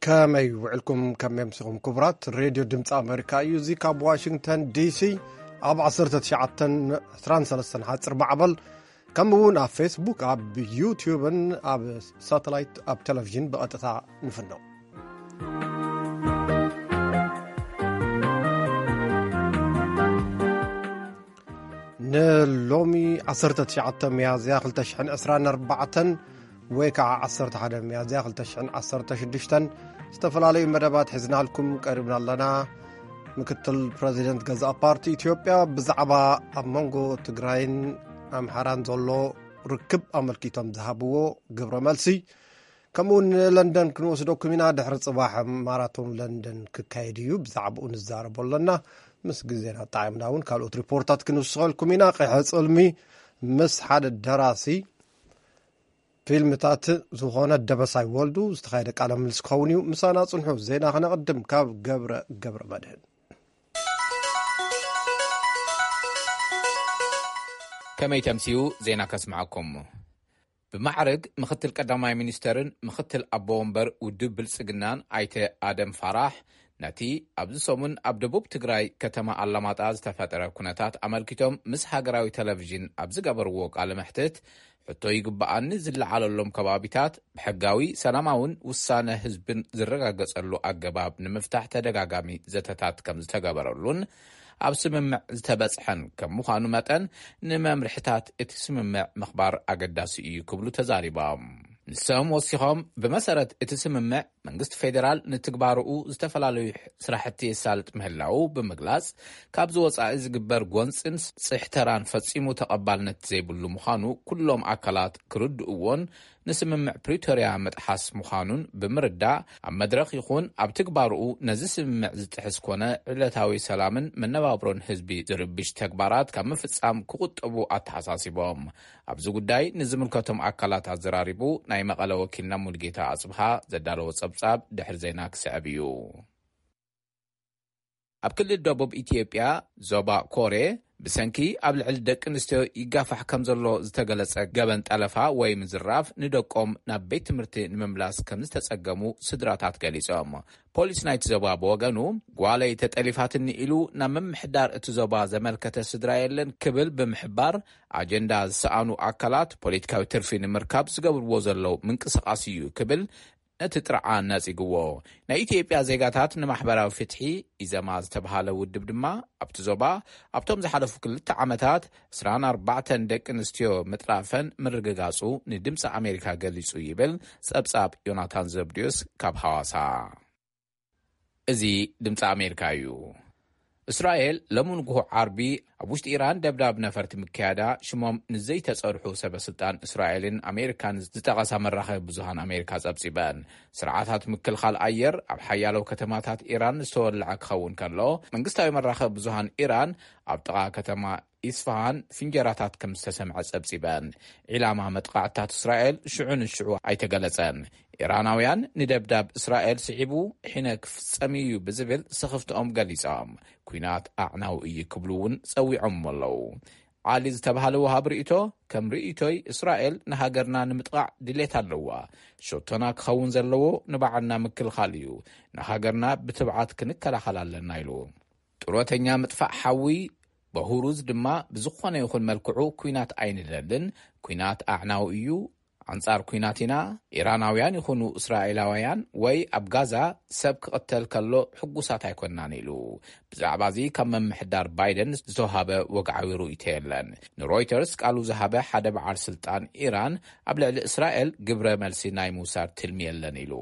ከመይ ውዕልኩም? ከመይ ኣምሲኹም? ክቡራት፣ ሬድዮ ድምፂ ኣሜሪካ እዩ። እዚ ካብ ዋሽንግተን ዲሲ ኣብ ዓሰርተ ትሽዓተ ዕስራን ሰለስተን ሓፂር ማዕበል፣ ከምኡ እውን ኣብ ፌስቡክ፣ ኣብ ዩትዩብን ኣብ ሳተላይት፣ ኣብ ቴሌቪዥን ብቐጥታ ንፍኖ። ንሎሚ ዓሰርተ ትሽዓተ ሚያዝያ ክልተ ሽሕን ዕስራን ኣርባዕተን ወይ ከዓ ዓሰርተ ሓደ ሚያዝያ ክልተ ሽሕን ዓሰርተ ሽዱሽተን ዝተፈላለዩ መደባት ሒዝናልኩም ቀሪብና ኣለና። ምክትል ፕረዚደንት ገዛእ ፓርቲ ኢትዮጵያ ብዛዕባ ኣብ መንጎ ትግራይን ኣምሓራን ዘሎ ርክብ ኣመልኪቶም ዝሃብዎ ግብረ መልሲ፣ ከምኡ እውን ንለንደን ክንወስደኩም ኢና። ድሕሪ ጽባሕ ማራቶን ለንደን ክካየድ እዩ። ብዛዕባኡ ንዛረቦ ኣለና። ምስ ግዜና ጣዕምና እውን ካልኦት ሪፖርታት ክንውስኸልኩም ኢና። ቀይሐ ጽልሚ ምስ ሓደ ደራሲ ፊልምታት ዝኾነ ደበሳይ ወልዱ ዝተኻየደ ቃለ ምልስ ክኸውን እዩ። ምሳና ጽንሑ። ዜና ክነቕድም ካብ ገብረ ገብረ መድህን። ከመይ ተምስዩ? ዜና ከስምዓኩም። ብማዕርግ ምኽትል ቀዳማይ ሚኒስተርን ምኽትል ኣቦ ወንበር ውድብ ብልጽግናን ኣይተ ኣደም ፋራሕ፣ ነቲ ኣብዚ ሰሙን ኣብ ደቡብ ትግራይ ከተማ ኣላማጣ ዝተፈጠረ ኩነታት ኣመልኪቶም ምስ ሃገራዊ ቴሌቪዥን ኣብ ዝገበርዎ ቃለ መሕትት፣ ሕቶ ይግብኣኒ ዝለዓለሎም ከባቢታት ብሕጋዊ ሰላማውን ውሳነ ህዝብን ዝረጋገጸሉ ኣገባብ ንምፍታሕ ተደጋጋሚ ዘተታት ከም ዝተገበረሉን ኣብ ስምምዕ ዝተበጽሐን ከም ምዃኑ መጠን፣ ንመምርሕታት እቲ ስምምዕ ምኽባር ኣገዳሲ እዩ ክብሉ ተዛሪቦም። ንሶም ወሲኾም፣ ብመሰረት እቲ ስምምዕ መንግስቲ ፌዴራል ንትግባርኡ ዝተፈላለዩ ስራሕቲ የሳልጥ ምህላዉ ብምግላጽ፣ ካብዚ ወጻኢ ዝግበር ጎንጽን ጽሕተራን ፈጺሙ ተቐባልነት ዘይብሉ ምዃኑ ኩሎም ኣካላት ክርድእዎን ንስምምዕ ፕሪቶርያ ምጥሓስ ምዃኑን ብምርዳእ፣ ኣብ መድረኽ ይኹን ኣብ ትግባርኡ ነዚ ስምምዕ ዝጥሕስ ኮነ ዕለታዊ ሰላምን መነባብሮን ህዝቢ ዝርብሽ ተግባራት ካብ ምፍጻም ክቑጠቡ ኣተሓሳሲቦም። ኣብዚ ጉዳይ ንዝምልከቶም ኣካላት ኣዘራሪቡ ናይ መቐለ ወኪልና ሙልጌታ ኣጽብሃ ዘዳለዎ ጸብጻብ ድሕሪ ዜና ክስዕብ እዩ። ኣብ ክልል ደቡብ ኢትዮጵያ ዞባ ኮሬ ብሰንኪ ኣብ ልዕሊ ደቂ ኣንስትዮ ይጋፋሕ ከም ዘሎ ዝተገለጸ ገበን ጠለፋ ወይ ምዝራፍ ንደቆም ናብ ቤት ትምህርቲ ንምምላስ ከም ዝተጸገሙ ስድራታት ገሊጾም። ፖሊስ ናይቲ ዞባ ብወገኑ፣ ጓለይ ተጠሊፋትኒ ኢሉ ናብ ምምሕዳር እቲ ዞባ ዘመልከተ ስድራ የለን ክብል ብምሕባር፣ ኣጀንዳ ዝሰኣኑ ኣካላት ፖለቲካዊ ትርፊ ንምርካብ ዝገብርዎ ዘለዉ ምንቅስቓስ እዩ ክብል ነቲ ጥርዓን ነጺግዎ። ናይ ኢትዮጵያ ዜጋታት ንማሕበራዊ ፍትሒ፣ ኢዘማ ዝተብሃለ ውድብ ድማ፣ ኣብቲ ዞባ ኣብቶም ዝሓለፉ ክልተ ዓመታት ዕስራን ኣርባዕተን ደቂ ኣንስትዮ ምጥራፈን ምርግጋጹ ንድምፂ ኣሜሪካ ገሊጹ ይብል ጸብጻብ ዮናታን ዘብድዮስ ካብ ሃዋሳ። እዚ ድምፂ ኣሜሪካ እዩ። እስራኤል ሎሚ ንግሆ ዓርቢ ኣብ ውሽጢ ኢራን ደብዳብ ነፈርቲ ምክያዳ ሽሞም ንዘይተጸርሑ ሰበ ስልጣን እስራኤልን ኣሜሪካን ዝጠቐሳ መራኸቢ ብዙሃን ኣሜሪካ ጸብጺበን። ስርዓታት ምክልኻል ኣየር ኣብ ሓያሎ ከተማታት ኢራን ዝተወልዐ ክኸውን ከሎ፣ መንግስታዊ መራኸቢ ብዙሃን ኢራን ኣብ ጥቓ ከተማ ኢስፋሃን ፍንጀራታት ከም ዝተሰምዐ ጸብጺበን። ዒላማ መጥቃዕትታት እስራኤል ሽዑ ንሽዑ ኣይተገለጸን። ኢራናውያን ንደብዳብ እስራኤል ስዒቡ ሒነ ክፍጸም እዩ ብዝብል ስኽፍትኦም ገሊጾም፣ ኲናት ኣዕናዊ እዩ ክብሉ እውን ጸዊዖም ኣለዉ። ዓሊ ዝተባህለ ወሃብ ርእይቶ፣ ከም ርእይቶይ እስራኤል ንሃገርና ንምጥቓዕ ድሌት ኣለዋ። ሸቶና ክኸውን ዘለዎ ንባዕልና ምክልኻል እዩ። ንሃገርና ብትብዓት ክንከላኸል ኣለና ኢሉ። ጡረተኛ ምጥፋእ ሓዊ፣ በሁሩዝ ድማ ብዝኾነ ይኹን መልክዑ ኲናት ኣይንደልን። ኲናት ኣዕናዊ እዩ። ኣንጻር ኲናት ኢና። ኢራናውያን ይኹኑ እስራኤላውያን ወይ ኣብ ጋዛ ሰብ ክቕተል ከሎ ሕጉሳት ኣይኮናን ኢሉ። ብዛዕባ እዚ ካብ ምምሕዳር ባይደን ዝተዋሃበ ወግዓዊ ርእይቶ የለን። ንሮይተርስ ቃሉ ዝሃበ ሓደ በዓል ስልጣን ኢራን ኣብ ልዕሊ እስራኤል ግብረ መልሲ ናይ ምውሳድ ትልሚ የለን ኢሉ።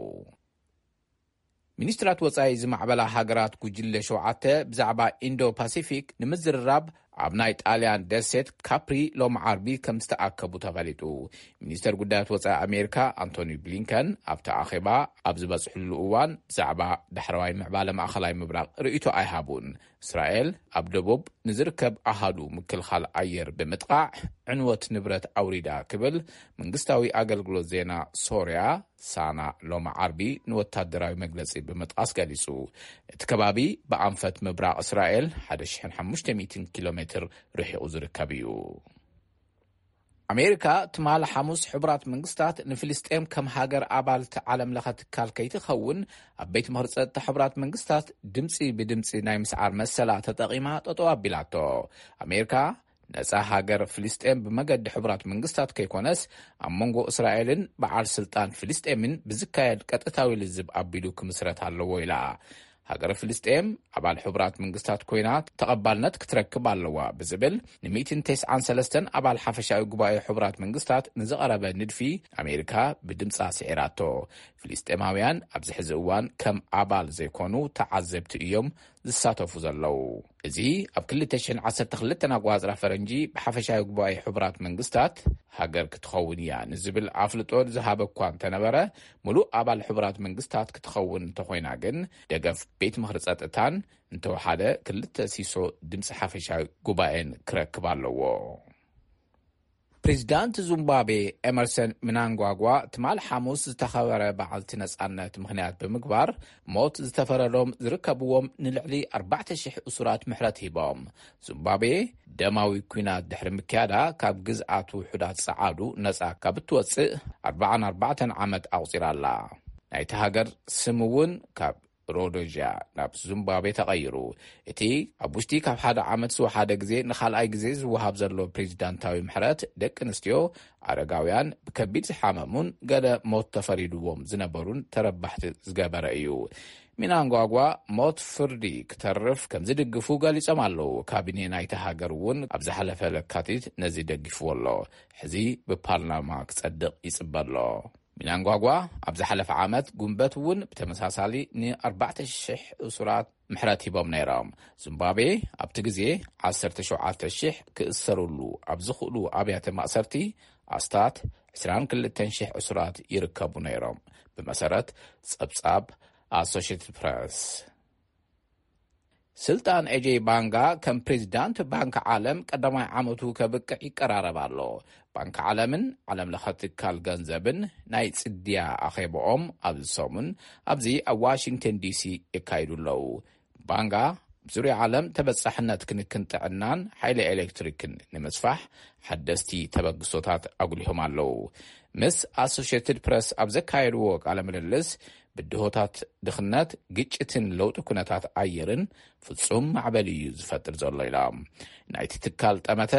ሚኒስትራት ወጻኢ ዝማዕበላ ሃገራት ጉጅለ ሸውዓተ ብዛዕባ ኢንዶ ፓሲፊክ ንምዝርራብ ኣብ ናይ ጣልያን ደሴት ካፕሪ ሎሚ ዓርቢ ከም ዝተኣከቡ ተፈሊጡ። ሚኒስተር ጉዳያት ወጻኢ ኣሜሪካ ኣንቶኒ ብሊንከን ኣብቲ ኣኼባ ኣብ ዝበጽሕሉ እዋን ብዛዕባ ዳሕረዋይ ምዕባለ ማእኸላይ ምብራቕ ርእይቶ ኣይሃቡን። እስራኤል ኣብ ደቡብ ንዝርከብ ኣሃዱ ምክልኻል ኣየር ብምጥቓዕ ዕንወት ንብረት ኣውሪዳ ክብል መንግስታዊ ኣገልግሎት ዜና ሶርያ ሳና ሎሚ ዓርቢ ንወታደራዊ መግለጺ ብምጥቃስ ገሊጹ። እቲ ከባቢ ብኣንፈት ምብራቕ እስራኤል ሓደ ሽሕን ሓሙሽተ ሚእትን ኪሎ ሜትር ርሒቑ ዝርከብ እዩ። ኣሜሪካ ትማሊ ሓሙስ ሕቡራት መንግስታት ንፍልስጤም ከም ሃገር ኣባልቲ ዓለም ለኸ ትካል ከይትኸውን ኣብ ቤት ምኽሪ ጸጥታ ሕቡራት መንግስታት ድምፂ ብድምፂ ናይ ምስዓር መሰላ ተጠቒማ ጠጠው ኣቢላቶ። ኣሜሪካ ነጻ ሃገር ፍልስጤም ብመገዲ ሕቡራት መንግስታት ከይኮነስ ኣብ መንጎ እስራኤልን በዓል ስልጣን ፍልስጤምን ብዝካየድ ቀጥታዊ ልዝብ ኣቢሉ ክምስረት ኣለዎ ኢላ። ሃገረ ፍልስጤም ኣባል ሕቡራት መንግስታት ኮይና ተቐባልነት ክትረክብ ኣለዋ ብዝብል ን193 ኣባል ሓፈሻዊ ጉባኤ ሕቡራት መንግስታት ንዝቐረበ ንድፊ ኣሜሪካ ብድምጻ ስዒራቶ። ፍልስጤማውያን ኣብዚ ሕዚ እዋን ከም ኣባል ዘይኮኑ ተዓዘብቲ እዮም ዝሳተፉ ዘለዉ። እዚ ኣብ ክልተ ሽሕን ዓሰርተ ክልተን ኣቆጻጽራ ፈረንጂ ብሓፈሻዊ ጉባኤ ሕቡራት መንግስታት ሃገር ክትኸውን እያ ንዝብል ኣፍልጦ ዝሃበ እኳ እንተነበረ፣ ምሉእ ኣባል ሕቡራት መንግስታት ክትኸውን እንተኾይና ግን ደገፍ ቤት ምኽሪ ጸጥታን እንተወሓደ ክልተ ሲሶ ድምፂ ሓፈሻዊ ጉባኤን ክረክብ ኣለዎ። ፕሬዚዳንት ዙምባቤ ኤመርሰን ምናንጓጓ ትማል ሓሙስ ዝተኸበረ በዓልቲ ነጻነት ምኽንያት ብምግባር ሞት ዝተፈረዶም ዝርከብዎም ንልዕሊ ኣርባዕተ ሽሕ እሱራት ምሕረት ሂቦም። ዙምባቤ ደማዊ ኲናት ድሕሪ ምክያዳ ካብ ግዝኣት ውሑዳት ጸዓዱ ነጻ ካብ እትወጽእ ኣርባዓን ኣርባዕተን ዓመት ኣቑጺራ ኣላ። ናይቲ ሃገር ስም እውን ካብ ሮዶዥያ ናብ ዙምባቤ ተቐይሩ። እቲ ኣብ ውሽጢ ካብ ሓደ ዓመት ዝወሓደ ግዜ ንኻልኣይ ግዜ ዝወሃብ ዘሎ ፕሬዚዳንታዊ ምሕረት ደቂ ኣንስትዮ፣ ኣረጋውያን፣ ብከቢድ ዝሓመሙን ገለ ሞት ተፈሪድዎም ዝነበሩን ተረባሕቲ ዝገበረ እዩ። ሚናንጓጓ ሞት ፍርዲ ክተርፍ ከም ዝድግፉ ገሊጾም ኣለዉ። ካቢኔ ናይቲ ሃገር እውን ኣብ ዝሓለፈ ለካቲት ነዚ ደጊፍዎ ኣሎ። ሕዚ ብፓርላማ ክጸድቕ ይጽበ ኣሎ። ሚናንጓጓ ኣብ ዝሓለፈ ዓመት ጉንበት እውን ብተመሳሳሊ ን ኣርባዕተ ሽሕ እሱራት ምሕረት ሂቦም ነይሮም። ዙምባቤ ኣብቲ ግዜ ዓሰርተ ሸውዓተ ሽሕ ክእሰሩሉ ኣብ ዝኽእሉ ኣብያተ ማእሰርቲ ኣስታት ዕስራን ክልተን ሽሕ እሱራት ይርከቡ ነይሮም፣ ብመሰረት ጸብጻብ ኣሶሽየትድ ፕረስ። ስልጣን ኤጀይ ባንጋ ከም ፕሬዚዳንት ባንክ ዓለም ቀዳማይ ዓመቱ ከብቅዕ ይቀራረብ ኣሎ። ባንክ ዓለምን ዓለም ለኸ ትካል ገንዘብን ናይ ጽድያ ኣኼባኦም ኣብዚ ሰሙን ኣብዚ ኣብ ዋሽንግተን ዲሲ የካይዱ ኣለዉ። ባንጋ ኣብ ዙርያ ዓለም ተበጻሕነት ክንክን ጥዕናን ሓይሊ ኤሌክትሪክን ንምስፋሕ ሓደስቲ ተበግሶታት ኣጉሊሆም ኣለዉ። ምስ ኣሶሽየትድ ፕረስ ኣብ ዘካየድዎ ቃለ ምልልስ ብድሆታት ድኽነት፣ ግጭትን ለውጢ ኩነታት ኣየርን ፍጹም ማዕበል እዩ ዝፈጥር ዘሎ ኢሎም። ናይቲ ትካል ጠመተ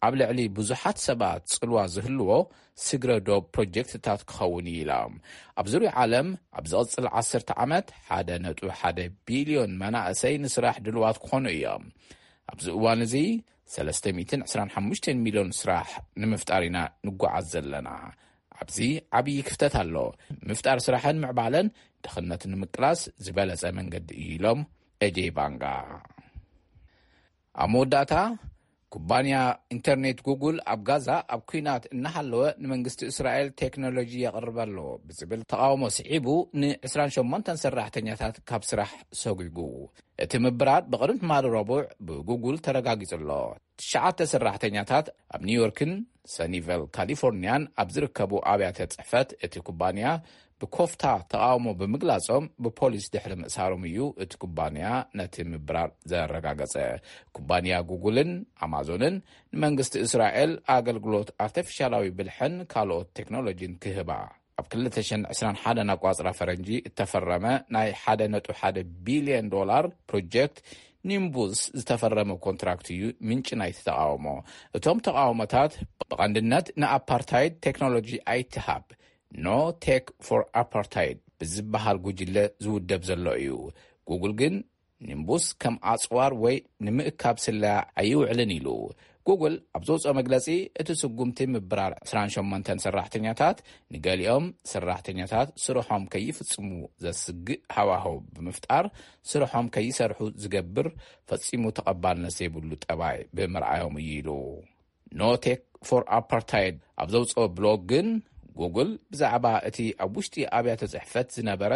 ኣብ ልዕሊ ብዙሓት ሰባት ጽልዋ ዝህልዎ ስግረ ዶብ ፕሮጀክትታት ክኸውን እዩ ኢሎም። ኣብ ዙርያ ዓለም ኣብ ዝቕጽል ዓሰርተ ዓመት ሓደ ነጥቢ ሓደ ቢልዮን መናእሰይ ንስራሕ ድልዋት ክኾኑ እዮም። ኣብዚ እዋን እዚ ሰለስተ ሚእትን ዕስራን ሓሙሽተን ሚልዮን ስራሕ ንምፍጣር ኢና ንጓዓዝ ዘለና። ኣብዚ ዓብዪ ክፍተት ኣሎ። ምፍጣር ስራሕን ምዕባለን ድኽነት ንምቅላስ ዝበለጸ መንገዲ እዩ ኢሎም ኤጀይ ባንጋ። ኣብ መወዳእታ ኩባንያ ኢንተርኔት ጉግል ኣብ ጋዛ ኣብ ኲናት እናሃለወ ንመንግስቲ እስራኤል ቴክኖሎጂ የቕርብ ኣሎ ብዝብል ተቓውሞ ስዒቡ ን28 ሰራሕተኛታት ካብ ስራሕ ሰጒጉ። እቲ ምብራር ብቕድሚ ትማሊ ረቡዕ ብጉግል ተረጋጊጹ ኣሎ። ትሽዓተ ሰራሕተኛታት ኣብ ኒውዮርክን ሰኒቨል ካሊፎርኒያን ኣብ ዝርከቡ ኣብያተ ጽሕፈት እቲ ኩባንያ ብኮፍታ ተቓውሞ ብምግላጾም ብፖሊስ ድሕሪ ምእሳሮም እዩ እቲ ኩባንያ ነቲ ምብራር ዘረጋገጸ። ኩባንያ ጉግልን ኣማዞንን ንመንግስቲ እስራኤል ኣገልግሎት ኣርቲፊሻላዊ ብልሕን ካልኦት ቴክኖሎጂን ክህባ ኣብ ክልተ ሽሕን ዕስራን ሓደን ኣቋጽራ ፈረንጂ እተፈረመ ናይ ሓደ ነጥቢ ሓደ ቢልዮን ዶላር ፕሮጀክት ኒምቡስ ዝተፈረመ ኮንትራክት እዩ ምንጪ ናይቲ ተቓውሞ። እቶም ተቓውሞታት ብቐንድነት ንኣፓርታይድ ቴክኖሎጂ ኣይትሃብ፣ ኖ ቴክ ፎር ኣፓርታይድ ብዝበሃል ጉጅለ ዝውደብ ዘሎ እዩ። ጉግል ግን ኒምቡስ ከም ኣጽዋር ወይ ንምእካብ ስለያ ኣይውዕልን ኢሉ። ጉግል ኣብ ዘውፅኦ መግለፂ፣ እቲ ስጉምቲ ምብራር ዕስራን ሸሞንተን ሰራሕተኛታት፣ ንገሊኦም ሰራሕተኛታት ስርሖም ከይፍጽሙ ዘስግእ ሃዋህው ብምፍጣር፣ ስርሖም ከይሰርሑ ዝገብር ፈጺሙ ተቐባልነት ዘይብሉ ጠባይ ብምርኣዮም እዩ ኢሉ። ኖ ቴክ ፎር ኣፓርታይድ ኣብ ዘውፅኦ ብሎግ ግን፣ ጉግል ብዛዕባ እቲ ኣብ ውሽጢ ኣብያተ ጽሕፈት ዝነበረ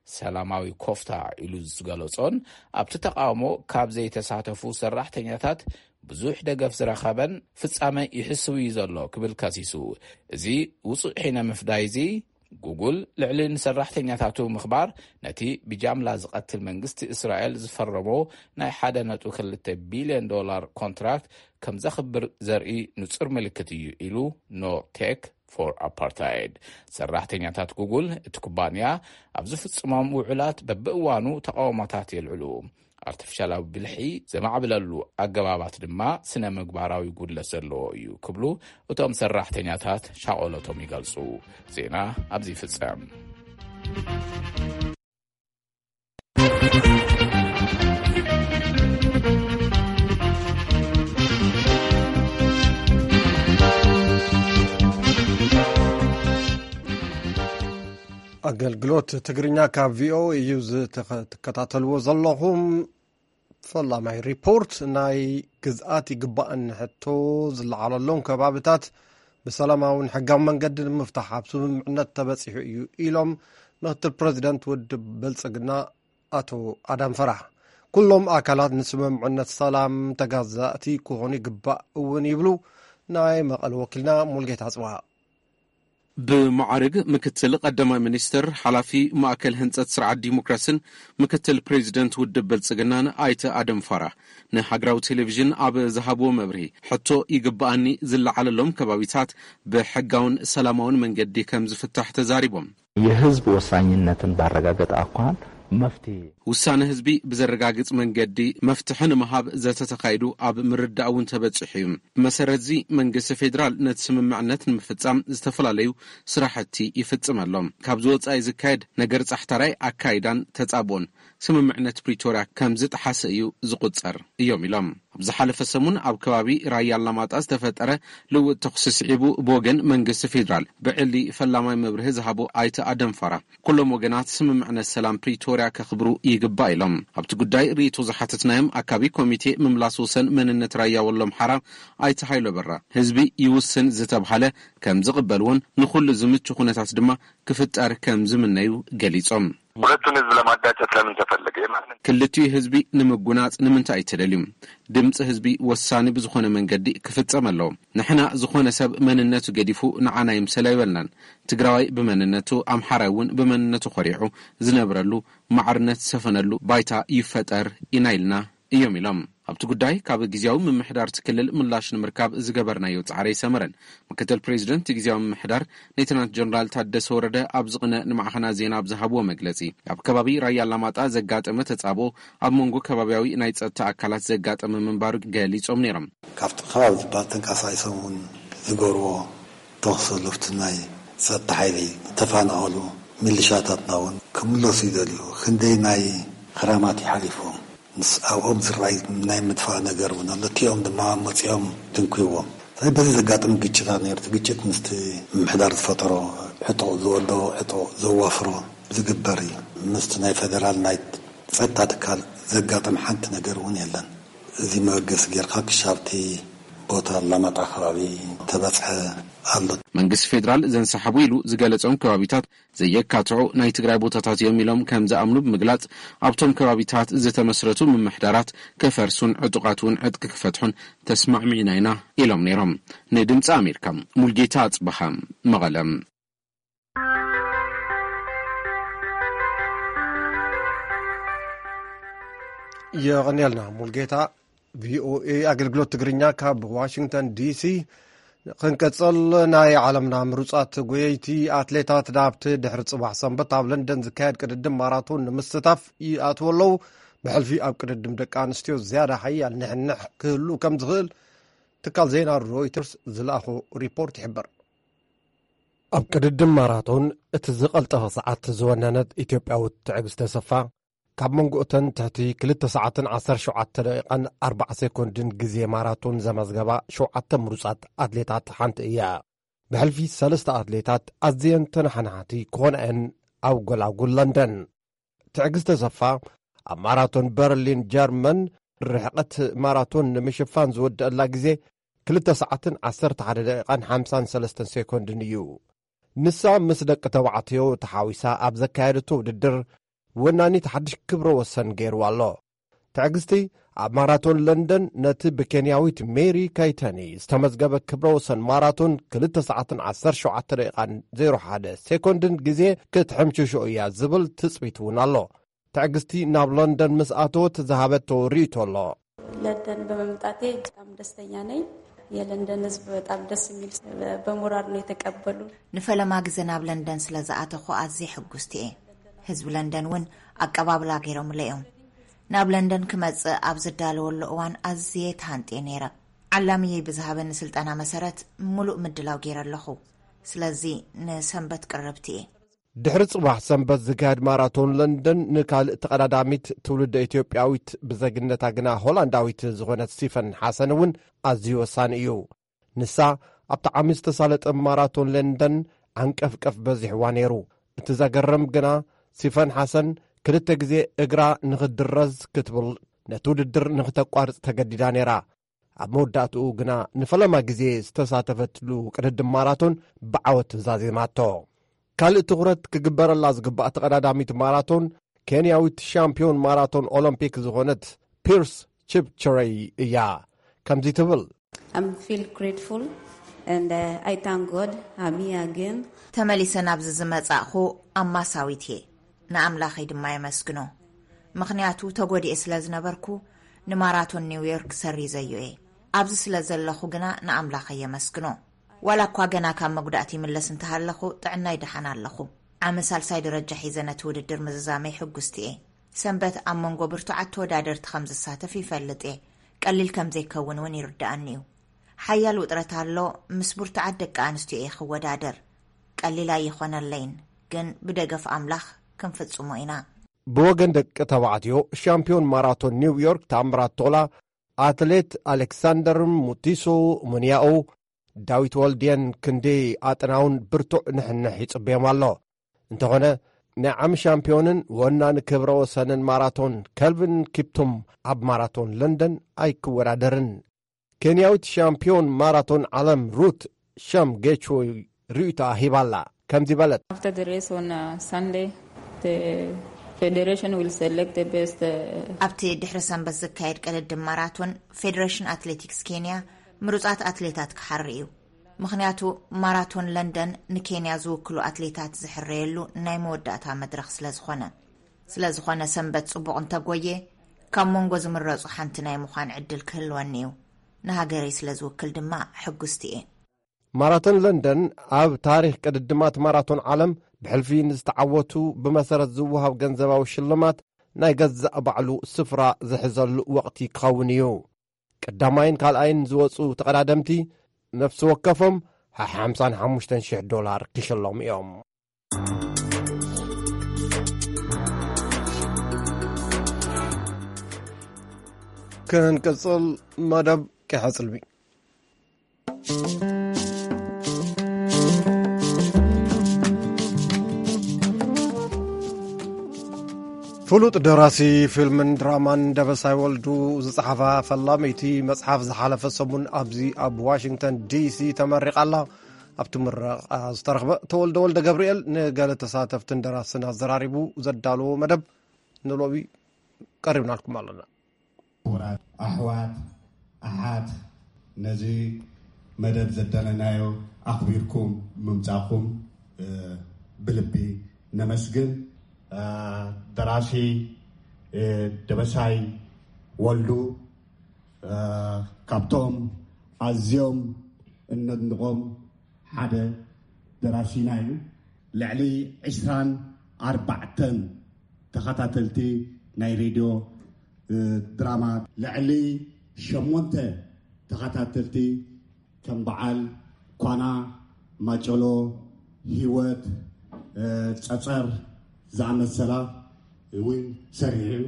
ሰላማዊ ኮፍታ ኢሉ ዝገለጾን ኣብቲ ተቃውሞ ካብ ዘይተሳተፉ ሰራሕተኛታት ብዙሕ ደገፍ ዝረኸበን ፍጻመ ይሕስው እዩ ዘሎ ክብል ከሲሱ። እዚ ውጹእ ሒነ ምፍዳይ እዚ ጉጉል ልዕሊ ንሰራሕተኛታቱ ምኽባር፣ ነቲ ብጃምላ ዝቐትል መንግስቲ እስራኤል ዝፈረሞ ናይ ሓደ ነጥቢ ክልተ ቢልዮን ዶላር ኮንትራክት ከም ዘኽብር ዘርኢ ንጹር ምልክት እዩ ኢሉ ኖ ቴክ ፎር ኣፓርታይድ። ሰራሕተኛታት ጉጉል፣ እቲ ኩባንያ ኣብ ዝፍጽሞም ውዕላት በብእዋኑ ተቓውሞታት የልዕሉ። ኣርቲፊሻላዊ ብልሒ ዘማዕብለሉ ኣገባባት ድማ ስነ ምግባራዊ ጉድለት ዘለዎ እዩ ክብሉ እቶም ሰራሕተኛታት ሻቐሎቶም ይገልጹ። ዜና ኣብዚ ይፍጸም። ኣገልግሎት ትግርኛ ካብ ቪኦኤ እዩ ዝተኸ- ትከታተልዎ ዘለኹም። ፈላማይ ሪፖርት፣ ናይ ግዝኣት ይግባእኒ ሕቶ ዝለዓለሎም ከባብታት ብሰላማውን ሕጋዊ መንገዲ ንምፍታሕ ኣብ ስምምዕነት ተበጺሑ እዩ ኢሎም ምክትል ፕረዚደንት ውድብ ብልጽግና ኣቶ ኣዳም ፈራህ። ኩሎም ኣካላት ንስምምዕነት ሰላም ተጋዛእቲ ክኾኑ ይግባእ እውን ይብሉ ናይ መቐለ ወኪልና ሙልጌታ ጽባ። ብማዕርግ ምክትል ቀዳማይ ሚኒስትር፣ ሓላፊ ማእከል ህንጸት ስርዓት ዲሞክራስን ምክትል ፕሬዚደንት ውድብ ብልጽግናን ኣይተ ኣደም ፋራህ ንሃገራዊ ቴሌቪዥን ኣብ ዝሃብዎ መብርሂ፣ ሕቶ ይግባኣኒ ዝለዓለሎም ከባቢታት ብሕጋውን ሰላማውን መንገዲ ከም ዝፍታሕ ተዛሪቦም። የህዝብ ወሳኝነትን ባረጋገጠ ኣኳን መፍትሄ። ውሳነ ህዝቢ ብዘረጋግጽ መንገዲ መፍትሒ ንምሃብ ዘተ ተኻይዱ ኣብ ምርዳእ እውን ተበጺሑ እዩ። ብመሰረት እዚ መንግስቲ ፌዴራል ነቲ ስምምዕነት ንምፍጻም ዝተፈላለዩ ስራሕቲ ይፍጽም ኣሎ። ካብዚ ወጻኢ ዝካየድ ነገር ጻሕታራይ ኣካይዳን ተጻብኦን ስምምዕነት ፕሪቶርያ ከም ዝጠሓሰ እዩ ዝቑጸር እዮም ኢሎም። ኣብ ዝሓለፈ ሰሙን ኣብ ከባቢ ራያ ኣላማጣ ዝተፈጠረ ልውጥ ተኹሲ ስዒቡ ብወገን መንግስቲ ፌዴራል ብዕሊ ፈላማይ መብርሂ ዝሃቡ ኣይተ ኣደም ፋራ ኩሎም ወገናት ስምምዕነት ሰላም ፕሪቶርያ ከኽብሩ ይግባእ ኢሎም። ኣብቲ ጉዳይ ርእይቶ ዝሓተትናዮም ኣካቢ ኮሚቴ ምምላስ ወሰን መንነት ራያ ወሎም ሓራ ኣይተ ሃይሎ በራ ህዝቢ ይውስን ዝተብሃለ ከም ዝቕበልዎን ንኹሉ ዝምቹ ኩነታት ድማ ክፍጠር ከም ዝምነዩ ገሊጾም። ሁለቱን ህዝብ ለማጋጨት ለምን ተፈለገ? የማንን ክልቲኡ ህዝቢ ንምጉናጽ ንምንታይ እዩ ተደልዩ? ድምፂ ህዝቢ ወሳኒ ብዝኾነ መንገዲ ክፍጸም ኣለዎ። ንሕና ዝኾነ ሰብ መንነቱ ገዲፉ ንዓና ይምሰል ኣይበልናን። ትግራዋይ ብመንነቱ፣ ኣምሓራይ እውን ብመንነቱ ኮሪዑ ዝነብረሉ ማዕርነት ዝሰፈነሉ ባይታ ይፈጠር ኢና ኢልና እዮም ኢሎም። ኣብቲ ጉዳይ ካብ ግዜያዊ ምምሕዳር እቲ ክልል ምላሽ ንምርካብ ዝገበርናዮ ጻዕሪ ኣይሰመረን። ምክትል ፕሬዚደንት ግዜያዊ ምምሕዳር ሌተናንት ጀነራል ታደሰ ወረደ ኣብ ዝቕነ ንማዕኸና ዜና ኣብ ዝሃብዎ መግለጺ፣ ኣብ ከባቢ ራያ ኣላማጣ ዘጋጠመ ተጻብኦ ኣብ መንጎ ከባቢያዊ ናይ ጸጥታ ኣካላት ዘጋጠመ ምንባሩ ገሊጾም ነይሮም። ካብቲ ከባቢ ዝበሃል ተንቀሳቒሶም እውን ዝገብርዎ ተኹሲ ሉፍቲ ናይ ጸጥታ ሓይሊ ተፋናቐሉ ሚሊሻታትና እውን ክምለሱ ይደልዩ። ክንደይ ናይ ክራማት ይሓሊፉ። ምስ ኣብኦም ዝረኣይ ናይ ምድፋእ ነገር እውን ኣሎ። እቲኦም ድማ መፂኦም ትንክይዎም። ስለዚ በዚ ዘጋጥም ግጭታት ነይሩ። እቲ ግጭት ምስቲ ምምሕዳር ዝፈጠሮ ዕጡቕ ዝወደቦ ዕጡቕ ዘዋፍሮ ዝግበር እዩ። ምስቲ ናይ ፌደራል ናይ ጸጥታ ትካል ዘጋጥም ሓንቲ ነገር እውን የለን። እዚ መበገሲ ጌርካ ክሻብቲ ቦታ ኣላማጣ ከባቢ ተበጽሐ ኣሎ። መንግስቲ ፌደራል ዘንሰሓቡ ኢሉ ዝገለጾም ከባቢታት ዘየካትዑ ናይ ትግራይ ቦታታት እዮም ኢሎም ከም ዝኣምኑ ብምግላጽ፣ ኣብቶም ከባቢታት ዝተመስረቱ ምምሕዳራት ክፈርሱን ዕጡቓት እውን ዕጥቂ ክፈትሑን ተስማዕሚዕና ኢና ኢሎም ነይሮም። ንድምፂ ኣሜሪካ ሙልጌታ ኣጽበሃ መቐለም። የቐንየልና ሙልጌታ። ቪኦኤ ኣገልግሎት ትግርኛ ካብ ዋሽንግተን ዲሲ። ክንቀጽል፣ ናይ ዓለምና ምሩጻት ጎየይቲ ኣትሌታት ናብቲ ድሕሪ ጽባሕ ሰንበት ኣብ ለንደን ዝካየድ ቅድድም ማራቶን ንምስታፍ ይኣትዉ ኣለዉ። ብሕልፊ ኣብ ቅድድም ደቂ ኣንስትዮ ዝያዳ ሓያል ንሕንሕ ክህሉ ከም ዝኽእል ትካል ዜና ሮይተርስ ዝለኣኾ ሪፖርት ይሕብር። ኣብ ቅድድም ማራቶን እቲ ዝቐልጠፈ ሰዓት ዝወነነት ኢትዮጵያዊት ትዕግስት ተሰፋ፣ ካብ መንጎ እተን ትሕቲ ክልተ ሰዓትን ዓሰርተ ሸውዓተ ደቂቓን ኣርባዓ ሴኮንድን ግዜ ማራቶን ዘመዝገባ ሸውዓተ ምሩጻት ኣትሌታት ሓንቲ እያ። ብሕልፊ ሰለስተ ኣትሌታት ኣዝየን ተነሓናሕቲ ክኾና እየን ኣብ ጎላጉል ለንደን። ትዕግስት ተሰፋ ኣብ ማራቶን በርሊን ጀርመን ርሕቐት ማራቶን ንምሽፋን ዝወደአላ ግዜ ክልተ ሰዓትን ዓሰርተ ሓደ ደቂቓን ሓምሳን ሰለስተን ሴኮንድን እዩ። ንሳ ምስ ደቂ ተባዕትዮ ተሓዊሳ ኣብ ዘካየደቶ ውድድር ወናኒት ሓድሽ ክብረ ወሰን ገይርዋ ኣሎ። ትዕግስቲ ኣብ ማራቶን ለንደን ነቲ ብኬንያዊት ሜሪ ካይተኒ ዝተመዝገበ ክብረ ወሰን ማራቶን ክልተ ሰዓትን ዓሰርተ ሸውዓተ ደቂቓን ዜሮ ሓደ ሴኮንድን ግዜ ክትሕምሽሾ እያ ዝብል ትጽቢት እውን ኣሎ። ትዕግስቲ ናብ ለንደን ምስ ኣተወት ዝሃበቶ ርእይቶ ኣሎ። ለንደን በመምጣቴ በጣም ደስተኛ ነኝ። የለንደን ህዝብ በጣም ደስ የሚል፣ በሞራል ነው የተቀበሉ። ንፈለማ ግዘ ናብ ለንደን ስለ ዝኣተኹ ኣዝየ ሕጉስቲ እየ። ህዝቢ ለንደን እውን ኣቀባብላ ገይሮምለ እዮም። ናብ ለንደን ክመጽእ ኣብ ዝዳለወሉ እዋን ኣዝየ ተሃንጥየ ነይረ። ዓላምየይ ብዝሃበኒ ስልጠና መሰረት ምሉእ ምድላው ገይረ ኣለኹ። ስለዚ ንሰንበት ቅርብቲ እየ። ድሕሪ ጽባሕ ሰንበት ዝካየድ ማራቶን ለንደን ንካልእ ተቐዳዳሚት ትውልደ ኢትዮጵያዊት ብዘግነታ ግና ሆላንዳዊት ዝኾነት ሲፈን ሓሰን እውን ኣዝዩ ወሳኒ እዩ። ንሳ ኣብቲ ዓሚ ዝተሳለጠ ማራቶን ለንደን ዓንቀፍቀፍ በዚሕዋ ነይሩ። እቲ ዘገርም ግና ሲፈን ሓሰን ክልተ ግዜ እግራ ንኽድረዝ ክትብል ነቲ ውድድር ንኽተቋርጽ ተገዲዳ ነይራ። ኣብ መወዳእትኡ ግና ንፈለማ ግዜ ዝተሳተፈትሉ ቅድድም ማራቶን ብዓወት ዛዚማቶ። ካልእ ትኹረት ክግበረላ ዝግባእ ተቐዳዳሚት ማራቶን ኬንያዊት ሻምፒዮን ማራቶን ኦሎምፒክ ዝኾነት ፒርስ ቺፕቸረይ እያ። ከምዚ ትብል። I'm feel grateful and uh, I thank God I'm here again. ተመሊሰ ናብዚ ዝመጻእኹ ኣማሳዊት እየ። ንኣምላኸይ ድማ የመስግኖ። ምኽንያቱ ተጎዲኤ ስለ ዝነበርኩ ንማራቶን ኒውዮርክ ሰሪዘዮ እየ። ኣብዚ ስለ ዘለኹ ግና ንኣምላኸይ የመስግኖ። ዋላ እኳ ገና ካብ መጉዳእቲ ይምለስ እንተሃለኹ ጥዕናይ ደሓን ኣለኹ። ዓሚ ሳልሳይ ደረጃ ሒዘ ነቲ ውድድር ምዝዛመይ ሕጉስቲ እየ። ሰንበት ኣብ መንጎ ብርቱዓት ተወዳደርቲ ከም ዝሳተፍ ይፈልጥ እየ። ቀሊል ከም ዘይከውን እውን ይርድኣኒ እዩ። ሓያል ውጥረት ኣሎ። ምስ ብርቱዓት ደቂ ኣንስትዮ እየ ክወዳደር። ቀሊል ኣይኾነለይን፣ ግን ብደገፍ ኣምላኽ ክንፍጽሞ ኢና። ብወገን ደቂ ተባዕትዮ ሻምፒዮን ማራቶን ኒውዮርክ ታምራት ቶላ፣ ኣትሌት ኣሌክሳንደር ሙቲሶ ሙንያኡ፣ ዳዊት ወልድየን ክንዲ ኣጥናውን ብርቱዕ ንሕንሕ ይጽበዮም ኣሎ። እንተኾነ ናይ ዓሚ ሻምፒዮንን ወናኒ ክብረ ወሰንን ማራቶን ከልቪን ኪፕቱም ኣብ ማራቶን ለንደን ኣይክወዳደርን። ኬንያዊት ሻምፒዮን ማራቶን ዓለም ሩት ሸም ጌችወይ ርእይቶኣ ሂባላ። ከምዚ በለት። After the race on uh, Sunday, the federation will select the best. Uh, ኣብቲ ድሕሪ ሰንበት ዝካየድ ቅድድም ማራቶን ፌደሬሽን ኣትሌቲክስ ኬንያ ምሩፃት ኣትሌታት ክሓሪ እዩ። ምኽንያቱ ማራቶን ለንደን ንኬንያ ዝውክሉ ኣትሌታት ዝሕረየሉ ናይ መወዳእታ መድረኽ ስለ ዝኾነ። ስለ ዝኾነ ሰንበት ፅቡቕ እንተጎየ ካብ መንጎ ዝምረፁ ሓንቲ ናይ ምዃን ዕድል ክህልወኒ እዩ። ንሃገረይ ስለ ዝውክል ድማ ሕጉስቲ እየ። ማራቶን ለንደን ኣብ ታሪኽ ቅድድማት ማራቶን ዓለም ብሕልፊ ንዝተዓወቱ ብመሰረት ዝወሃብ ገንዘባዊ ሽልማት ናይ ገዛእ ባዕሉ ስፍራ ዝሕዘሉ ወቕቲ ክኸውን እዩ። ቀዳማይን ካልኣይን ዝወፁ ተቐዳደምቲ ነፍሲ ወከፎም ሓምሳን ሓሙሽተን ሽሕ ዶላር ክሽለሙ እዮም። ክንቅጽል መደብ ቀይሕ ጽልሚ። ፍሉጥ ደራሲ ፊልምን ድራማን ደበሳይ ወልዱ ዝጸሓፋ ፈላመይቲ መጽሓፍ ዝሓለፈ ሰሙን ኣብዚ ኣብ ዋሽንግተን ዲሲ ተመሪቓ ኣላ። ኣብቲ ምረቓ ዝተረኽበ ተወልደ ወልደ ገብርኤል ንገለ ተሳተፍትን ደራስን ኣዘራሪቡ ዘዳለዎ መደብ ንሎሚ ቀሪብናልኩም ኣለና። ክቡራት ኣሕዋት ኣሓት፣ ነዚ መደብ ዘዳለናዮ ኣኽቢርኩም ምምጻእኩም ብልቢ ነመስግን። ደራሲ ደበሳይ ወልዱ ካብቶም ኣዝዮም እነድንቖም ሓደ ደራሲና እዩ። ልዕሊ ዕስራን ኣርባዕተን ተኸታተልቲ ናይ ሬድዮ ድራማ፣ ልዕሊ ሸሞንተ ተኸታተልቲ ከም በዓል ኳና፣ ማጨሎ፣ ህይወት፣ ጸጸር ዝኣመሰላ እውን ሰሪሑ እዩ።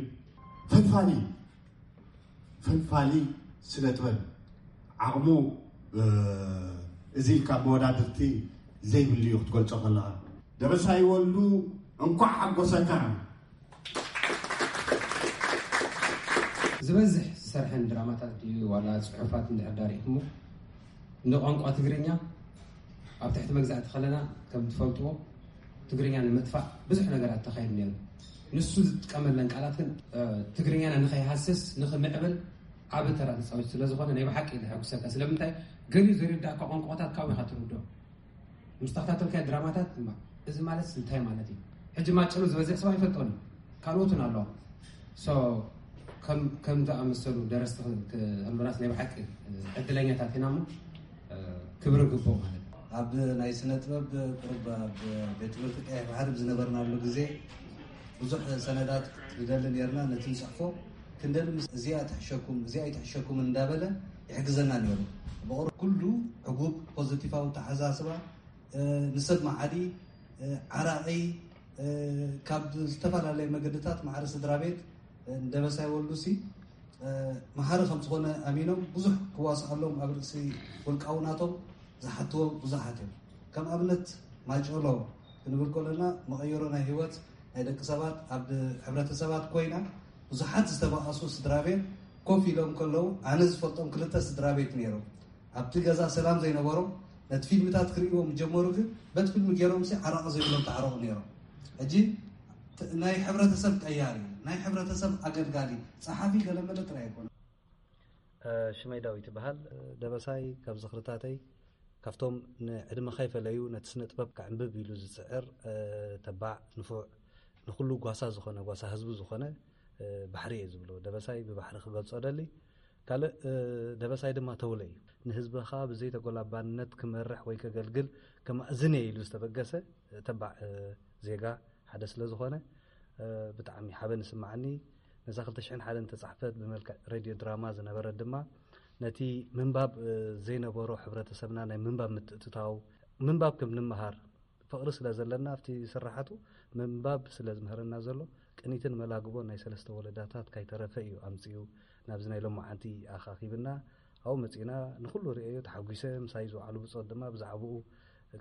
ፈልፋሊ ፈልፋሊ ስነ ጥበብ ዓቕሙ እዚ ኢልካ መወዳድርቲ ዘይብሉ እዩ ክትገልጾ ከለኻ። ደበሳይ ወልዱ እንኳዕ ሓጎሰካ። ዝበዝሕ ዝሰርሐን ድራማታት ድዩ ዋላ ጽሑፋት እንድሕር ዳሪእኩሞ ንቋንቋ ትግርኛ ኣብ ትሕቲ መግዛእቲ ከለና ከም ትፈልጥዎ ትግርኛ ንምጥፋእ ብዙሕ ነገራት ተኻይዱ ነይሩ። ንሱ ዝጥቀመለን ቃላት ግን ትግርኛና ንኸይሃስስ ንኽምዕብል ዓብ ተራ ተፃዊት ስለዝኾነ ናይ ብሓቂ ዘሐጉሰካ። ስለምንታይ? ገሊኡ ዘይርዳእካ ቋንቋታት ካብኡ ኢኻ ትርድኦ። ምስ ተኸታተልካዮ ድራማታት ድማ እዚ ማለት እንታይ ማለት እዩ? ሕጂ ማጨሎ ዝበዝሕ ሰብ ኣይፈልጦን እዩ። ካልኦት እውን ኣለዋ። ከም ዝኣመሰሉ ደረስቲ ክህሉናስ ናይ ብሓቂ ዕድለኛታት ኢና እሞ ክብሪ ግቦ ማለት እዩ። ኣብ ናይ ስነ ጥበብ ቁሩብ ኣብ ቤት ትምህርቲ ቀይሕ ባሕሪ ብዝነበርናሉ ግዜ ብዙሕ ሰነዳት ንደሊ ነርና። ነቲ ንፅሕፎ ክንደሊ ምስ እዚኣ ትሕሸኩም እዚኣ ይትሕሸኩም እንዳበለ ይሕግዘና ነይሩ። ብቑር ኩሉ ዕጉብ ፖዚቲቫዊ ተሓሳስባ ንሰብ መዓዲ ዓራቒ ካብ ዝተፈላለየ መገድታት ማዕረ ስድራ ቤት ንደበሳይ ወልዱሲ መሃሪ ከም ዝኾነ ኣሚኖም ብዙሕ ክዋስኣሎም ኣብ ርእሲ ውልቃዊ ናቶም ዝሓትዎ ብዙሓት እዮም። ከም ኣብነት ማጨሎ ክንብል ከለና መቐየሮ ናይ ህይወት ናይ ደቂ ሰባት ኣብ ሕብረተሰባት ኮይና ብዙሓት ዝተባኣሱ ስድራ ቤት ኮፍ ኢሎም ከለዉ ኣነ ዝፈልጦም ክልተ ስድራ ቤት ነይሮም። ኣብቲ ገዛ ሰላም ዘይነበሮም ነቲ ፊልምታት ክርእይዎም ጀመሩ። ግን በቲ ፊልም ገይሮም ሲ ዓራቂ ዘይብሎም ተዓረቑ ነይሮም። ሕጂ ናይ ሕብረተሰብ ቀያሪ ናይ ሕብረተሰብ ኣገልጋሊ ጸሓፊ ገለመለ ጥራይ ኣይኮነ። ሽመይ ዳዊት ይበሃል። ደበሳይ ካብ ዝኽርታተይ ካብቶም ንዕድመ ከይፈለዩ ነቲ ስነ ጥበብ ከዕንብብ ኢሉ ዝጽዕር ተባዕ ንፉዕ ንኩሉ ጓሳ ዝኾነ ጓሳ ህዝቡ ዝኾነ ባሕሪ እየ ዝብሎ። ደበሳይ ብባሕሪ ክገልጾ ደሊ ካልእ ደበሳይ ድማ ተውለ እዩ። ንህዝብኻ ብዘይተጎላባነት ክመርሕ ወይ ከገልግል ከማእዝን እየ ኢሉ ዝተበገሰ ተባዕ ዜጋ ሓደ ስለ ዝኾነ ብጣዕሚ ሓበን ይስማዓኒ። ነዛ ክልተ ሽሕን ሓደን ተጻሕፈት ብመልክዕ ሬድዮ ድራማ ዝነበረት ድማ ነቲ ምንባብ ዘይነበሮ ሕብረተሰብና ናይ ምንባብ ምትእትታው ምንባብ ከም ንምሃር ፍቕሪ ስለ ዘለና ኣብቲ ስራሓቱ ምንባብ ስለ ዝምህረና ዘሎ ቅኒትን መላግቦን ናይ ሰለስተ ወለዳታት ካይተረፈ እዩ ኣምጺኡ ናብዚ ናይ ሎማዓንቲ ኣኻኺብና። ኣብኡ መጺእና ንኹሉ ርእየዮ ተሓጒሰ። ምሳይ ዝወዓሉ ብጾት ድማ ብዛዕባኡ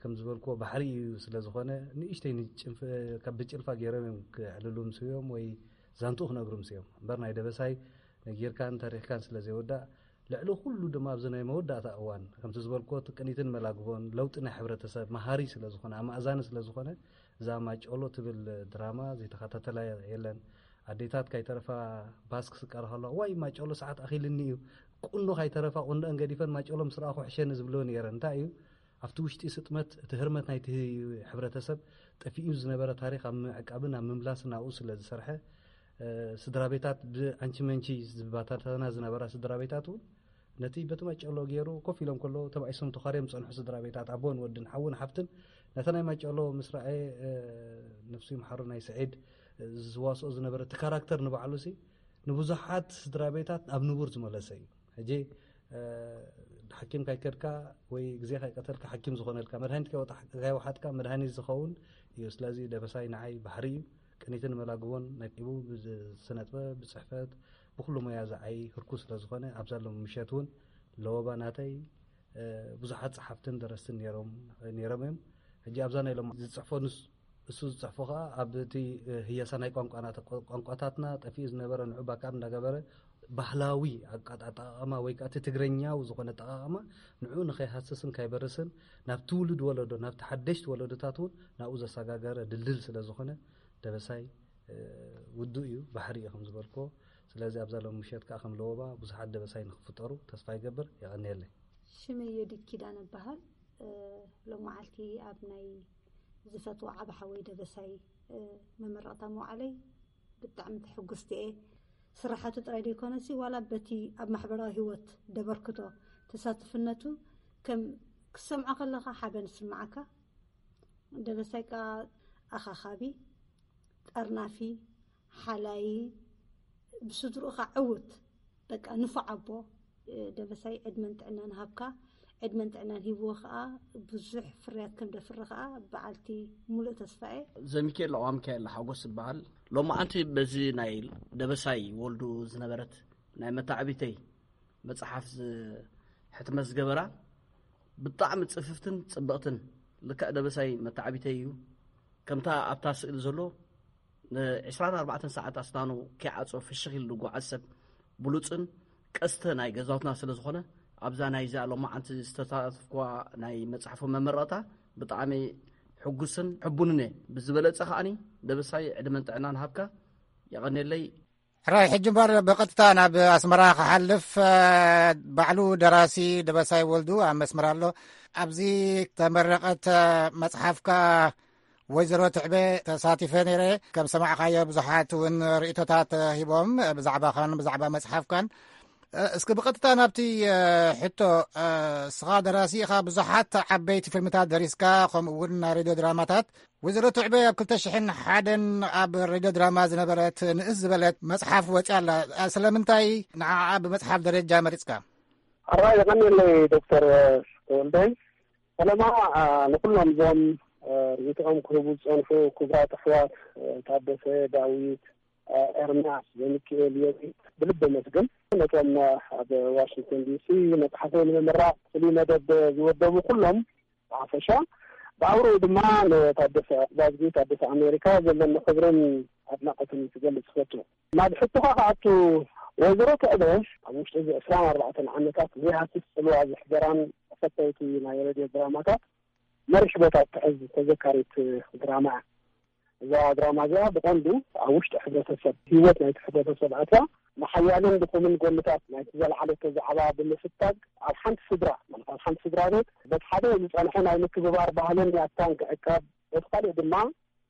ከም ዝበልክዎ ባሕሪ እዩ ስለ ዝኾነ ንእሽተይ ካብ ብጭልፋ ገይሮም እዮም ክዕልሉ ምስዮም ወይ ዛንትኡ ክነግሩ ምስዮም እምበር ናይ ደበሳይ ነጊርካን ተሪኽካን ስለ ዘይወዳእ ልዕሊ ኩሉ ድማ ኣብዚ ናይ መወዳእታ እዋን ከምቲ ዝበልክዎ ቅኒትን መላግቦን ለውጢ ናይ ሕብረተሰብ መሃሪ ስለ ዝኾነ ኣማእዛኒ ስለ ዝኾነ እዛ ማጨሎ ትብል ድራማ ዘይተኸታተላ የለን። ኣዴታት ካይተረፋ ባስ ክስቀራ ከለዋ ዋይ ማጨሎ ሰዓት ኣኺልኒ እዩ ቁኖ ካይተረፋ ቁንደአን ገዲፈን ማጨሎ ምስ ረኣኹ ሕሸኒ ዝብልዎ ነይረን። እንታይ እዩ ኣብቲ ውሽጢ ስጥመት እቲ ህርመት ናይቲ ሕብረተሰብ ጠፊኡ ዝነበረ ታሪክ ኣብ ምዕቃብን ኣብ ምምላስን ኣብኡ ስለ ዝሰርሐ ስድራ ቤታት ብኣንቺ መንቺ ዝባታተና ዝነበራ ስድራ ቤታት እውን ነቲ በቲ ማጨሎ ገይሩ ኮፍ ኢሎም ከሎ ተባኢሶም ተኻርዮም ዝፀንሑ ስድራ ቤታት ኣቦን ወድን ሓውን ሓፍትን ነቲ ናይ ማጨሎ ምስ ረኣየ ነፍሱ ይምሓሩ ናይ ስዒድ ዝዋስኦ ዝነበረ እቲ ካራክተር ንባዕሉ ሲ ንብዙሓት ስድራ ቤታት ኣብ ንቡር ዝመለሰ እዩ። ሕጂ ሓኪም ካይከድካ ወይ ግዜ ካይቀተልካ ሓኪም ዝኾነልካ መድሃኒት ካይወሓጥካ መድሃኒት ዝኸውን እዩ። ስለዚ ደበሳይ ንዓይ ባሕሪ እዩ። ቅኒትን መላግቦን ናይ ቡ ብስነጥበብ ብፅሕፈት ብኩሉ ሞያ ዝዓይ ህርኩ ስለ ዝኾነ ኣብዛ ሎም ምሸት እውን ለወባ ናተይ ብዙሓት ጸሓፍትን ደረስትን ነይሮም እዮም። ሕጂ ኣብዛ ናይ ሎም ዝፅሕፎ ንስ እሱ ዝፅሕፎ ከዓ ኣብ እቲ ህየሳ ናይ ቋንቋታትና ጠፊኡ ዝነበረ ንዑ ባካብ እንዳገበረ ባህላዊ ኣጠቃቅማ ወይ ከዓ እቲ ትግረኛዊ ዝኾነ ኣጠቃቅማ ንዑ ንኸይሃስስን ከይበርስን ናብ ትውልድ ወለዶ ናብቲ ሓደሽቲ ወለዶታት እውን ናብኡ ዘሰጋገረ ድልድል ስለ ዝኾነ ደበሳይ ውዱእ እዩ፣ ባሕሪ እዩ ከም ዝበልኮ። ስለዚ ኣብዛ ሎም ምሸት ከዓ ከም ለወባ ብዙሓት ደበሳይ ንክፍጠሩ ተስፋ ይገብር። የቐንየለይ። ሽመይ ዮዲት ኪዳነ እበሃል። ሎም መዓልቲ ኣብ ናይ ዝፈትዎ ዓቢ ሓወይ ደበሳይ መመረቕታ መዋዕለይ ብጣዕሚ ትሕጉስቲ እየ። ስራሓቱ ጥራይ ዘይኮነሲ ዋላ በቲ ኣብ ማሕበራዊ ህይወት ደበርክቶ ተሳትፍነቱ ከም ክሰምዖ ከለኻ ሓበን ዝስምዓካ። ደበሳይ ከዓ ኣኻኻቢ፣ ጠርናፊ፣ ሓላዪ፣ ብስድርኡ ከዓ ዕውት በቃ ንፉዕ ኣቦ። ደበሳይ ዕድመን ጥዕናን ሃብካ። ዕድመን ጥዕናን ሂብዎ ከዓ ብዙሕ ፍርያት ከም ደፍሪ ከዓ በዓልቲ ሙሉእ ተስፋ እየ። ዘሚካኤል ለቋ ሚካኤል ሓጎስ ዝበሃል ሎማዓንቲ በዚ ናይ ደበሳይ ወልዱ ዝነበረት ናይ መታዕቢተይ መፅሓፍ ሕትመት ዝገበራ ብጣዕሚ ፅፍፍትን ፅብቕትን ልክዕ ደበሳይ መታዕቢተይ እዩ። ከምታ ኣብታ ስእሊ ዘሎ ን24 ሰዓት ኣስናኑ ከይዓጾ ፍሽኽ ኢሉ ዝጓዓዝ ሰብ ብሉጽን ቀስተ ናይ ገዛውትና ስለ ዝኾነ ኣብዛ ናይዛ ሎማዓንቲ ዝተሳተፍኩዋ ናይ መጽሓፉ መመረቕታ ብጣዕሚ ሕጉስን ሕቡንን እየ። ብዝበለጸ ከዓኒ ደበሳይ ዕድመን ጥዕናን ሃብካ። የቐንየለይ። ሕራይ፣ ሕጂ እምበር ብቐጥታ ናብ ኣስመራ ክሓልፍ፣ እ፣ ባዕሉ ደራሲ ደበሳይ ወልዱ ኣብ መስመር ኣሎ። ኣብዚ ተመረቐት፣ እ፣ መጽሓፍካ ወይዘሮ ትዕበ ተሳቲፈ ነይረ። ከም ሰማዕካዮ ብዙሓት እውን ርእይቶታት ሂቦም ብዛዕባኻን ብዛዕባ መጽሓፍካን። እ፣ እስኪ ብቐጥታ ናብቲ፣ እ፣ ሕቶ፣ እ፣ እስኻ ደራሲ ኢኻ፣ ብዙሓት ዓበይቲ ፊልምታት ደሪስካ፣ ከምኡ እውን ናይ ሬድዮ ድራማታት። ወይዘሮ ትዕበ ኣብ ክልተ ሽሕን ሓደን ኣብ ሬድዮ ድራማ ዝነበረት ንእስ ዝበለት መጽሓፍ ወጺኣ ኣላ። እ፣ ስለምንታይ ንዓኣ ብመጽሓፍ ደረጃ መሪጽካ? ኣራ የቐንየለይ ዶክተር ተወልደ። ፈለማ፣ እ፣ ንኹሎም እዞም፣ እ፣ ርእይቶኦም ክህቡ ዝጸንሑ ክቡራት ኣሕዋት፣ እ፣ ታደሰ፣ ዳዊት፣ እ፣ ኤርምያስ፣ ዘሚካኤል፣ ዮቢ ብልቢ መስግን። ነቶም፣ እ፣ ኣብ ዋሽንግተን ዲሲ መጽሓፈይ ንምምራቕ ፍሉይ መደብ ዝወደቡ ኩሎም ብሓፈሻ፣ ብኣውርኡ ድማ ንታደሰ ባዝጊ፣ ታደሰ ኣሜሪካ፣ ዘለኒ ክብርን ኣድናቖትን ክገልጽ እፈቱ። ናብ ሕቶኻ ክኣቱ፣ ወይዘሮ ትዕበ ኣብ ውሽጢ እዚ ዕስራን ኣርባዕተን ዓመታት ዘይሃስስ ጽልዋ ዘሕደራን ተፈተውቲ ናይ ሬድዮ ድራማታት መሪሕ ቦታ እትሕዝ ተዘካሪት ድራማ እያ። እዛ ድራማ እዚኣ ብቐንዱ ኣብ ውሽጢ ሕብረተሰብ፣ ህይወት ናይቲ ሕብረተሰብ ኣትያ፣ ንሓያልን ድኹምን ጎንታት ናይቲ ዘልዓለቶ ዛዕባ ብምፍታግ፣ ኣብ ሓንቲ ስድራ፣ ማለት ኣብ ሓንቲ ስድራ ቤት፣ በቲ ሓደ ዝጸንሐ ናይ ምክብባር ባህልን ያታን ክዕቀብ፣ በቲ ካልእ ድማ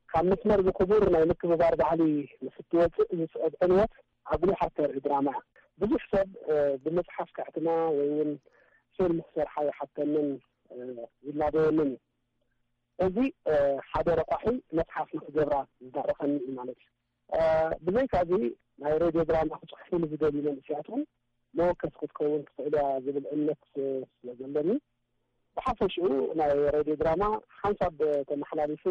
ካብ መስመር ዝኽቡር ናይ ምክብባር ባህሊ ምስ እትወጽእ ዝስዕብ ዕንወት ኣጉሊሓ እተርኢ ድራማ እያ። ብዙሕ ሰብ፣ እ፣ ብመጽሓፍ ከሕትማ ወይ እውን ፊልም ክሰርሓ ይሓተንን፣ እ፣ ይላበወንን እዩ። እዚ፣ እ፣ ሓደ ረቋሒ መጽሓፍ ንክገብራ ዝዳረኸኒ እዩ ማለት እዩ። እ፣ ብዘይካ እዚ፣ ናይ ሬድዮ ድራማ ክጽሕፉ ንዝደልዩ መንእሰያት እውን መወከሲ ክትከውን ትኽእል እያ ዝብል እምነት፣ እ፣ ስለ ዘለኒ፣ ብሓፈሽኡ ናይ ሬድዮ ድራማ ሓንሳብ ተመሓላሊፉ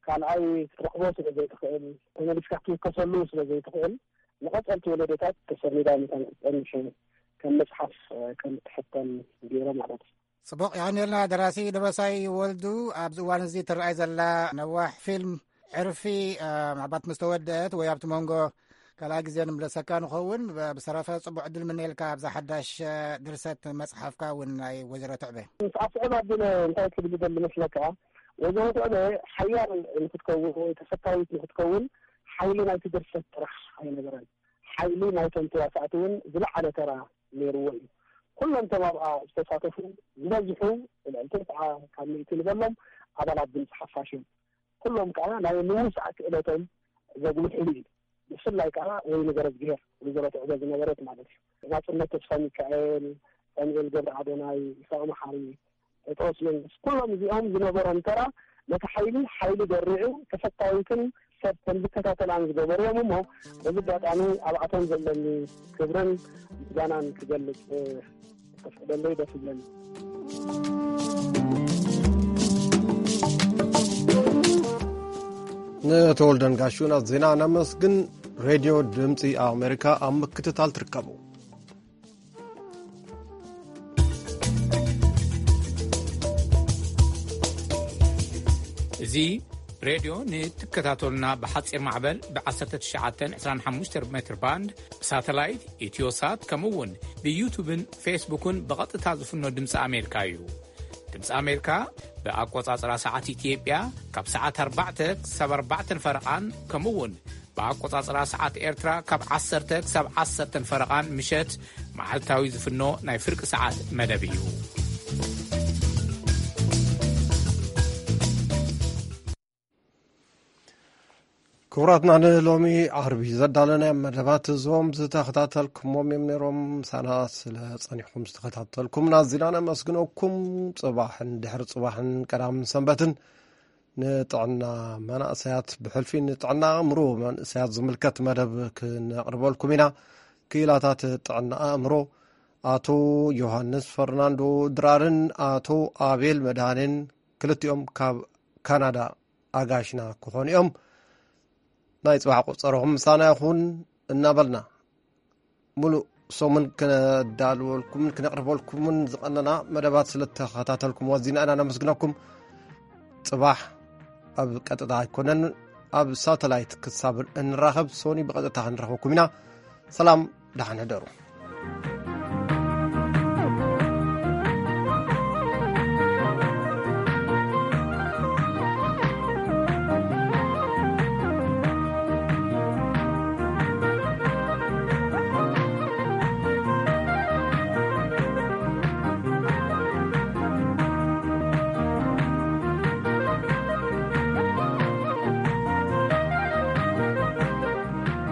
ካልኣይ ክትረኽቦ ስለ ዘይትኽእል፣ ተመሊስካ ክትውከሰሉ ስለ ዘይትኽእል፣ ንቐጸልቲ ወለዶታት ተሰኒዳ መታን ክትጸንሕ ከም መጽሓፍ፣ እ፣ ከም እትሕተም ገይረ ማለት እዩ። ጽቡቕ፣ የቐንየልና ደራሲ ደበሳይ ወልዱ። ኣብዚ እዋን እዚ ትረኣይ ዘላ ነዋሕ ፊልም ዕርፊ፣ እ፣ ምናልባት ምስ ተወደአት ወይ ኣብቲ መንጎ ካልኣይ ግዜ ንምለሰካ ንኸውን። ብ-፣ ብሰረፈ ጽቡቕ ዕድል ምነየልካ ኣብዛ ሓዳሽ፣ እ፣ ድርሰት መጽሓፍካ እውን ናይ ወይዘሮ ትዕበ። ምስ ኣስዕብ ኣቢለ እንታይ ክብል ዝደሊ መስለካ? ወይዘሮ ትዕበ ሓያል ንክትከውን ወይ ተፈታዊት ንክትከውን ሓይሊ ናይቲ ድርሰት ጥራሕ ኣይነበረን። ሓይሊ ናይቶም ተዋሳእቲ እውን ዝለዓለ ተራ ነይርዎ እዩ። ኩሎም እቶም ኣብኣ ዝተሳተፉ ዝበዝሑ፣ ልዕሊ ትስዓ ካብ ሚእቲ ንበሎም ኣባላት ድምፂ ሓፋሽ እዮም። ኩሎም ከዓ ናይ ምውሳእ ክእለቶም ዘጉልሕሉ እዩ። ብፍላይ ከዓ ወይኒ ገረዝግሄር፣ ወይዘሮ ትዕበ ዝነበረት ማለት እዩ። ናፅነት ተስፋ ሚካኤል፣ ሳሙኤል ገብረ ኣዶናይ፣ ይስሐቅ መሓሪ፣ ጴጥሮስ መንግስት፣ ኩሎም እዚኦም ዝነበሮም ተራ ነቲ ሓይሊ ሓይሊ ደሪዑ ተፈታዊትን ሰብ ከም ዝከታተላን ዝገበርዎም እሞ፣ በዚ ኣጋጣሚ ኣብኣቶም ዘለኒ ክብርን ምስጋናን ክገልጽ፣ እ፣ ተፍቅደለይ ደስ ይብለኒ። ንተወልደን ጋሹን ዜና ነመስግን። ሬድዮ ድምፂ ኣሜሪካ ኣብ ምክትታል ትርከቡ። እዚ ሬድዮ ንትከታተሉና ብሓጺር ማዕበል ብ19 25 ሜትር ባንድ፣ ብሳተላይት፣ ኢትዮሳት፣ ከምኡ እውን ብዩቱብን ፌስቡክን ብቐጥታ ዝፍኖ ድምፂ ኣሜሪካ እዩ። ድምፂ ኣሜሪካ ብኣቆጻጽራ ሰዓት ኢትዮጵያ ካብ ሰዓት ኣርባዕተ ክሳብ ኣርባዕተን ፈረቓን፣ ከምኡ እውን ብኣቆጻጽራ ሰዓት ኤርትራ ካብ ዓሰርተ ክሳብ ዓሰርተን ፈረቓን ምሸት መዓልታዊ ዝፍኖ ናይ ፍርቂ ሰዓት መደብ እዩ። ክቡራትና፣ ንሎሚ ዓርቢ ዘዳለናዮም መደባት እዞም ዝተኸታተልኩሞም እዮም ነይሮም። ምሳና ስለ ጸኒሕኩም ዝተኸታተልኩምና ኣዚና ነመስግነኩም። ጽባሕን ድሕሪ ጽባሕን ቀዳምን ሰንበትን ንጥዕና መናእሰያት፣ ብሕልፊ ንጥዕና ኣእምሮ መንእሰያት ዝምልከት መደብ ክነቕርበልኩም ኢና። ክኢላታት ጥዕና ኣእምሮ ኣቶ ዮሃንስ ፈርናንዶ ድራርን ኣቶ ኣቤል መድሃኔን፣ ክልቲኦም ካብ ካናዳ ኣጋሽና ክኾኑ እዮም። ናይ ጽባሕ ቆጸሮኹም ምሳና ይኹን እናበልና፣ ሙሉእ ሰሙን ክነዳልወልኩምን ክነቕርበልኩምን ዝቐነና መደባት ስለ እተኸታተልኩም ኣዚና ኢና ነመስግነኩም። ጽባሕ ኣብ ቀጥታ ኣይኮነን፣ ኣብ ሳተላይት ክሳብ እንራኸብ፣ ሶኒ ብቐጥታ ክንረኽበኩም ኢና። ሰላም፣ ደሓን ሕደሩ።